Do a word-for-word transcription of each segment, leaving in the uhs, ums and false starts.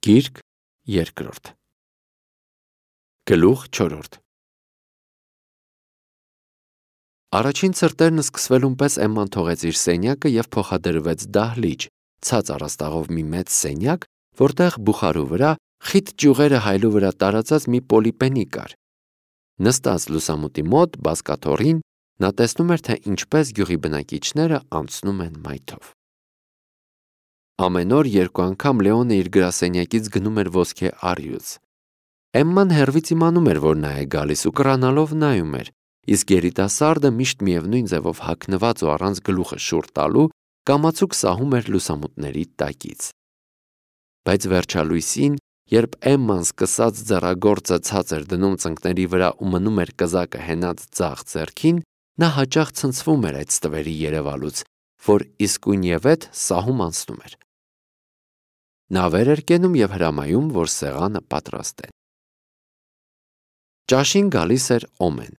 Գիրք երկրորդ Գլուխ չորրորդ Առաջին ցրտերն սկսվելուն պես Էմման թողեց իր սենյակը և փոխադրվեց դահլիճ, ցած առաստաղով մի մեծ սենյակ, որտեղ բուխարու վրա խիտ ճյուղերը հայլու վրա տարածած մի պոլիպենի կար։ Նստած լուսամուտի մոտ բազկաթոռին նա տեսնում էր, թե ինչպես գյուղի բնակիչները անցնում են մայթով։ Ամեն օր երկու անգամ Լեոնը իր գրասենյակից գնում էր ոսկե առյուծ։ Էմման հեռվից իմանում էր, որ նա է գալիս ու կռանալով նայում էր, իսկ երիտասարդը միշտ միևնույն ձևով հագնված ու առանց գլուխը շուռ տալու կամացուկ սահում էր լուսամուտների տակից։ Բայց վերջալույսին, երբ Էմման սկսած ձեռագործը ցած էր դնում ծնկների վրա ու մնում էր կզակը հենած ձախ ձեռքին, նա հաճախ ցնցվում էր այդ ստվերի երևալուց, որ իսկույնևեթ սահում անցնում էր։ Նա վեր էր կենում և հրամայում, որ սեղանը պատրաստ է։ Ճաշին գալիս էր Օմեն։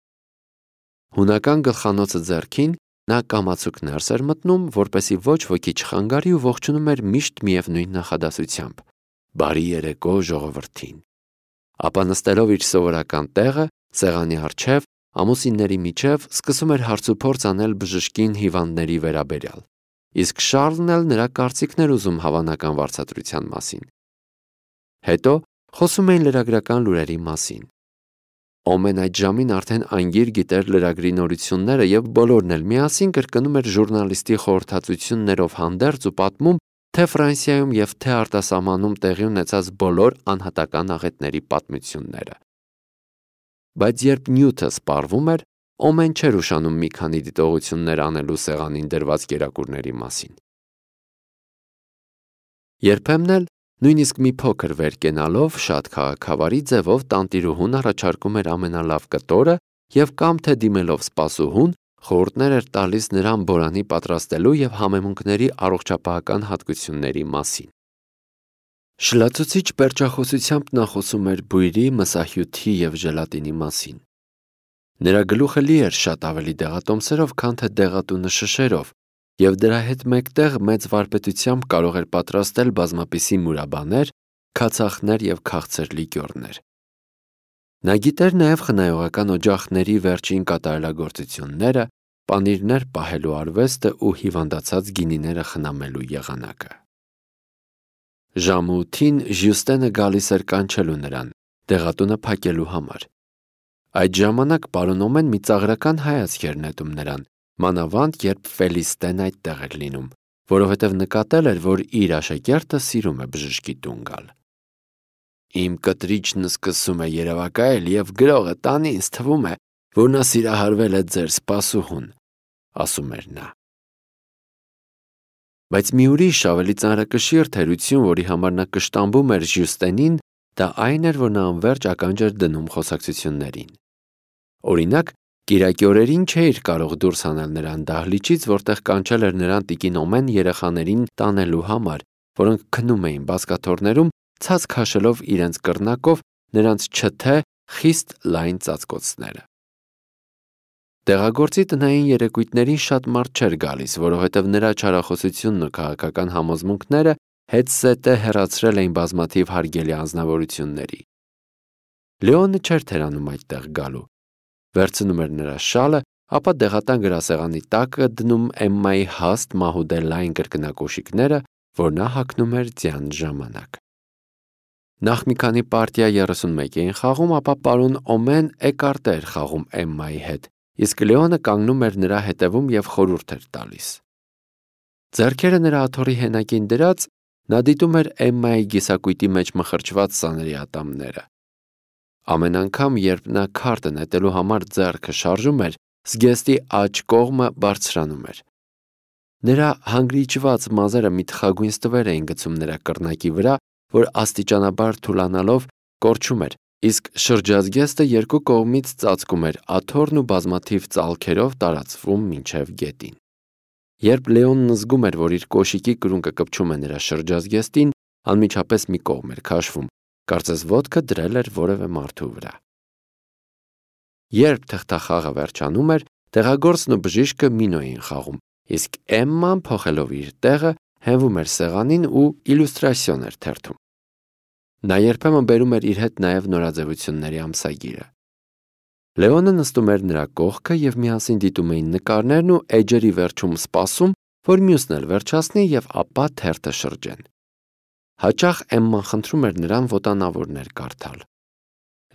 Հունական գլխանոցը ձեռքին նա կամացուկ ներս էր մտնում, որպեսզի ոչ ոքի չխանգարի ու ողջունում էր միշտ միևնույն նախադասությամբ. «Բարի երեկո ժողովրդին»։ Ապա նստելով իր սովորական տեղը, սեղանի առջև, ամուսինների միջև սկսում էր հարցուփորձ անել բժշկին հիվանդների վերաբերյալ, իսկ Շառլն էլ նրա կարծիքն էր ուզում հավանական վարձատրության մասին։ Հետո խոսում էին լրագրական լուրերի մասին։ Օմեն այդ ժամին արդեն անգիր գիտեր լրագրի նորությունները և բոլորն էլ միասին կրկնում էր ժուրնալիստի խորհրդածություններով հանդերձ ու պատմում թե Ֆրանսիայում և թե արտասահմանում տեղի ունեցած բոլոր անհատական աղետների պատմությունները։ Բայց երբ նյութը սպառվում էր, Օմեն չէր ուշանում մի քանի դիտողություններ անելու սեղանին դրված կերակուրների մասին։ Երբեմն էլ, նույնիսկ մի փոքր վեր կենալով, շատ քաղաքավարի ձևով տանտիրուհուն առաջարկում էր ամենալավ կտորը և կամ թե դիմելով սպասուհուն, խորհուրդներ էր տալիս նրան բորանի պատրաստելու և համեմունքների առողջապահական հատկությունների մասին։ Շլացուցիչ պերճախոսությամբ նա խոսում էր բույրի, մսահյութի և ժելատինի մասին։ Նրա գլուխը լի էր շատ ավելի դեղատոմսերով, քան թե դեղատունը շշերով, և դրա հետ մեկտեղ մեծ վարպետությամբ կարող էր պատրաստել բազմապիսի մուրաբաներ, քացախներ և քաղցր լիկյորներ։ Նա գիտեր նաև խնայողական օջախների վերջին կատարելագործությունները, պանիրներ պահելու արվեստը ու հիվանդացած գինիները խնամելու եղանակը։ Ժամը ութին Ժյուստենը գալիս էր կանչելու նրան, դեղատունը փակելու համար։ Այդ ժամանակ պարոն Օմեն մի ծաղրական հայացք էր նետում նրան, մանավանդ երբ Ֆելիստեն այդտեղ էր լինում, որովհետև նկատել էր, որ իր աշակերտը սիրում է բժշկի տուն գալ։ «Իմ կտրիչն սկսում է երևակայել և գրողը տանի, ինձ թվում է, որ նա սիրահարվել է ձեր սպասուհուն», ասում էր նա։ Բայց մի ուրիշ ավելի ծանրակշիռ թերություն, որի համար նա կշտամբում էր Ժյուստենին, դա այն էր, որ նա անվերջ ականջ էր դնում խոսակցություններին։ Օրինակ, կիրակի օրերին չէիր կարող դուրս հանել նրան դահլիճից, որտեղ կանչել էր նրան տիկին Օմեն երեխաներին տանելու համար, որոնք քնում էին բազկաթոռներում, ցած քաշելով իրենց կռնակով նրանց չթե, խիստ լայն ծածկոցները։ Տեղագործի տնային երեկույթներին շատ մարդ չէր գալիս, որովհետև նրա չարախոսությունն ու քաղաքական համոզմունքները հետզհետե հեռացրել էին բազմաթիվ հարգելի անձնավորությունների։ Լեոնը չէր թերանում այդտեղ գալու։ Վերցնում էր նրա շալը, ապա դեղատան գրասեղանի տակը դնում Էմմայի հաստ մահուդե լայն կրկնակոշիկները, որ նա հագնում էր ձյան ժամանակ։ Նախ մի քանի պարտիա երեսունմեկ էին խաղում, ապա պարոն Օմեն էկարտե էր խաղում Էմմայի հետ, իսկ Լեոնը կանգնում էր նրա հետևում և խորհուրդ էր տալիս։ Ձեռքերը նրա աթոռի հենակին դրած, նա դիտում էր Էմմայի գիսակույտի մեջ մխրճված սաների ատամները։ Ամեն անգամ, երբ նա քարտը նետելու համար ձեռքը շարժում էր, զգեստի աջ կողմը բարձրանում էր։ Նրա հանգրիճված մազերը մի թխագույն ստվեր էին գցում նրա կռնակի վրա, որ աստիճանաբար թուլանալով կորչում էր, իսկ շրջազգեստը երկու կողմից ծածկում էր աթոռն ու բազմաթիվ ծալքերով տարածվում մինչև գետին։ Երբ Լեոնն զգում էր, որ իր կոշիկի կրունկը կպչում է նրա շրջազգեստին, անմիջապես մի կողմ էր քաշվում, կարծես ոտքը դրել էր որևէ մարդու վրա։ Երբ թղթախաղը վերջանում էր, տեղագործն ու բժիշկը մինո էին խաղում, իսկ Էմման, փոխելով իր տեղը, հենվում էր սեղանին ու իլյուստրացիոն էր թերթում։ Նա երբեմն բերում էր իր հետ նաև նորաձևությունների ամսագիրը։ Լեոնը նստում էր նրա կողքը և միասին դիտում էին նկարներն ու էջերի վերջում սպասում, որ մյուսն էլ վերջացնի և ապա թերթը շրջեն։ Հաճախ Էմման խնդրում էր նրան ոտանավորներ կարդալ։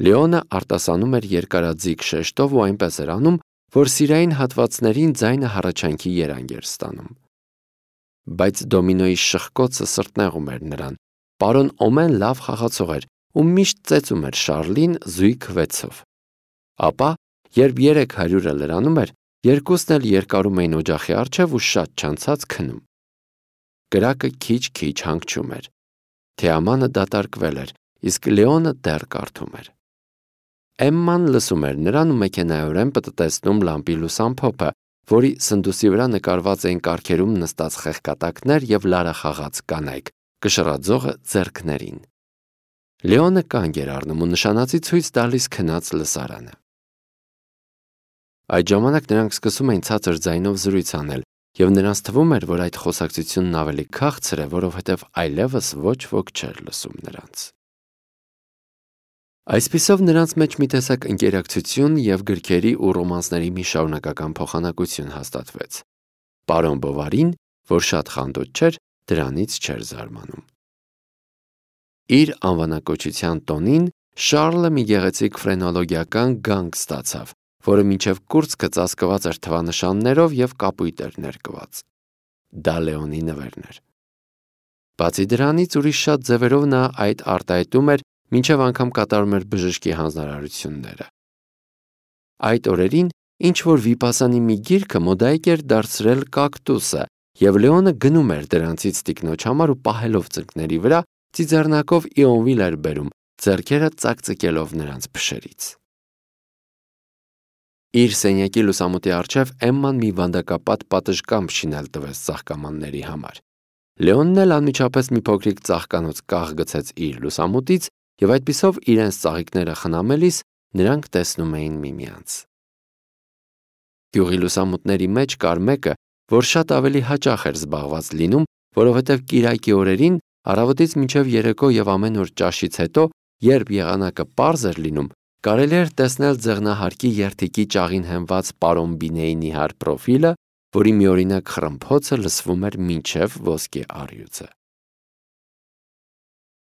Լեոնը արտասանում էր երկարաձիգ շեշտով ու այնպես էր անում, որ սիրային հատվածներին ձայնը հառաչանքի երանգ էր ստանում։ Բայց դոմինոյի շխկոցը սրտնեղում էր նրան։ Պարոն Օմեն լավ խաղացող էր ու միշտ ծեծում էր Շառլին զույգ վեցով։ Ապա, երբ երեք հարյուրը լրանում էր, երկուսն էլ երկարում էին օջախի առջև ու շատ չանցած քնում։ Կրակը քիչ-քիչ հանգչում էր։ Թեամանը դատարկվել էր, իսկ Լեոնը դեռ կարդում էր։ Էմման լսում էր նրան ու մեքենայորեն պտտեցնում լամպի լուսամփոփը, որի սնդուսի վրա նկարված էին կառքերում նստած խեղկատակներ և լարախաղաց կանայք, կշռաձողը ձեռքներին։ Լեոնը կանգ էր առնում ու նշանածի ցույց տալիս քնած լսարանը։ Այդ ժամանակ նրանք սկսում էին ցածր ձայնով զրույց անել, և նրանց թվում էր, որ այդ խոսակցությունն ավելի քաղցր է, որովհետև այլևս ոչ ոք չէր լսում նրանց։ Այսպիսով նրանց մեջ մի տեսակ ընկերակցություն և գրքերի ու ռոմանսների մի շարունակական փոխանակություն հաստատվեց։ Պարոն Բովարին, որ շատ խանդոտ չէր, դրանից չէր զարմանում։ Իր անվանակոչության տոնին Շառլը մի գեղեցիկ ֆրենոլոգիական գանք ստացավ, որը մինչև կուրծքը ծածկված էր թվանշաններով և կապույտ էր ներկված։ Դա Լեոնի նվերն էր։ Բացի դրանից ուրիշ շատ ձևերով նա այդ արտահայտում էր, մինչև անգամ կատարում էր բժշկի հանձնարարությունները։ Այդ օրերին ինչ-որ վիպասանի մի գիրքը մոդայիկ էր դարձրել կակտուսը, և Լեոնը գնում էր դրանցից տիկնոջ համար ու պահելով ծնկների վրա, ծիծեռնակով Իոնվիլ էր բերում, ձեռքերը ծակծկելով նրանց փշերից։ Իր սենյակի լուսամուտի առջև Էմման մի վանդակապատ պատշգամբ շինել տվեց ծաղկամանների համար։ Լեոնն էլ անմիջապես մի փոքրիկ ծաղկանոց կաղ գցեց իր լուսամուտից, և այդպիսով իրենց ծաղիկները խնամելիս նրանք տեսնում էին միմյանց։ Գյուղի լուսամուտների մեջ կար մեկը, որ շատ ավելի հաճախ էր զբաղված լինում, որովհետև կիրակի օրերին առավոտից մինչև երեկո և ամեն օր ճաշից հետո, երբ եղանակը պարզ էր լինում, կարելի էր տեսնել ձեղնահարկի երթիկի ճաղին հենված պարոն Բինեի նիհար պրոֆիլը, որի միօրինակ խռմփոցը լսվում էր մինչև ոսկե առյուծը։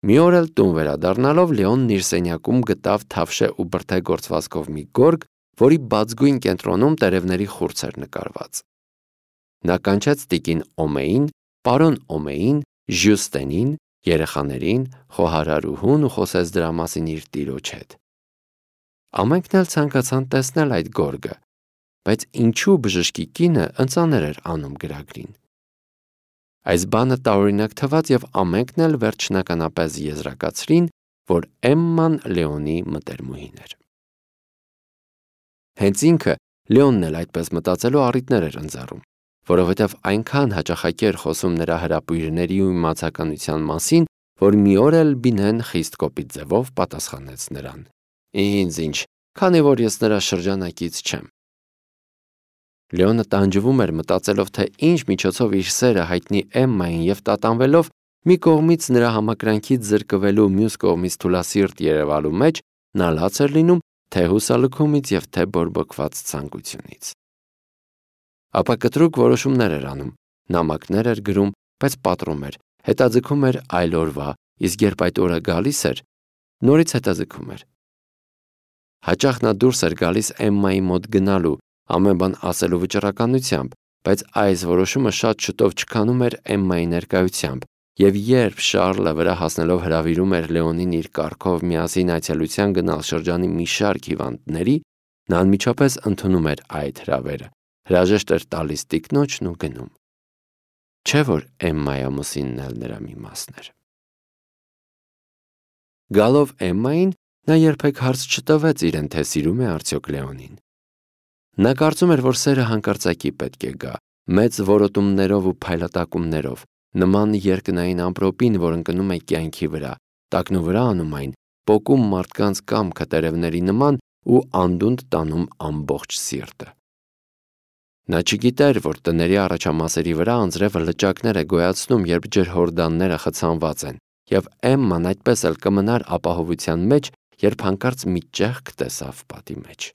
Մի օր էլ տուն վերադառնալով Լեոնն իր սենյակում գտավ թավշե ու բրդե գործվածքով մի գորգ, որի բացգույն կենտրոնում տերևների խուրձ էր նկարված։ Նա կանչեց տիկին Օմեին, պարոն Օմեին, Ժյուստենին, երեխաներին, խոհարարուհուն ու խոսեց դրա մասին իր տիրոջ հետ։ Ամենքն էլ ցանկացան տեսնել այդ գորգը, բայց ինչու բժշկի կինը ընծաներ էր անում գրագրին։ Այս բանը տարօրինակ թվաց և ամենքն էլ վերջնականապես եզրակացրին, որ Էմման Լեոնի մտերմուհին էր։ Հենց ինքը Լեոնն էլ այդպես մտածելու առիթներ էր ընձեռում, որովհետև այնքան հաճախակի էր խոսում նրա հրապույրների ու իմացականության մասին, որ մի օր էլ Բինեն խիստ կոպիտ ձևով պատասխանեց նրան. «Ինձ ինչ, քանի որ ես նրա շրջանակից չեմ»։ Լեոնը տանջվում էր մտածելով, թե ինչ միջոցով իր սերը հայտնի Էմմային և տատանվելով մի կողմից նրա համակրանքից զրկվելու, մյուս կողմից թուլասիրտ երևալու մեջ, նա լաց էր լինում թե հուսալքումից և թե բորբոքված ցանկությունից։ Ապա կտրուկ որոշումներ էր անում, նամակներ էր գրում, բայց պատռում էր, հետաձգում էր այլ օրվա, իսկ երբ այդ օրը գալիս էր, նորից հետաձգում էր։ Հաճախ նա դուրս էր գալիս Էմմայի մոտ գնալու, ամեն բան ասելու վճռականությամբ, բայց այս որոշումը շատ շուտով չքանում էր Էմմայի ներկայությամբ, և երբ Շառլը վրա հասնելով հրավիրում էր Լեոնին իր կառքով միասին այցելության գնալ շրջանի մի շարք հիվանդների, նա անմիջապես ընդունում էր այդ հրավերը, հրաժեշտ էր տալիս տիկնոջն ու գնում։ Չէ՞ որ Էմմայի ամուսինն էլ նրա մի մասն էր։ Գալով Էմմային, նա երբեք հարց չտվեց իրեն, թե սիրում է արդյոք Լեոնին։ Նա կարծում էր, որ սերը հանկարծակի պետք է գա, մեծ որոտումներով ու փայլատակումներով, նման երկնային ամպրոպին, որ ընկնում է կյանքի վրա, տակնու վրա անում այն, պոկում մարդկանց կամքը տերևների նման ու անդունդ տանում ամբողջ սիրտը։ Նա չգիտեր, որ տների առաջամասերի վրա անձրևը լճակներ է գոյացնում, երբ ջրհորդանները խցանված են, եւ Էմման այդպես էլ կմնար ապահովության մեջ, երբ հանկարծ մի ճեղք տեսավ պատի մեջ։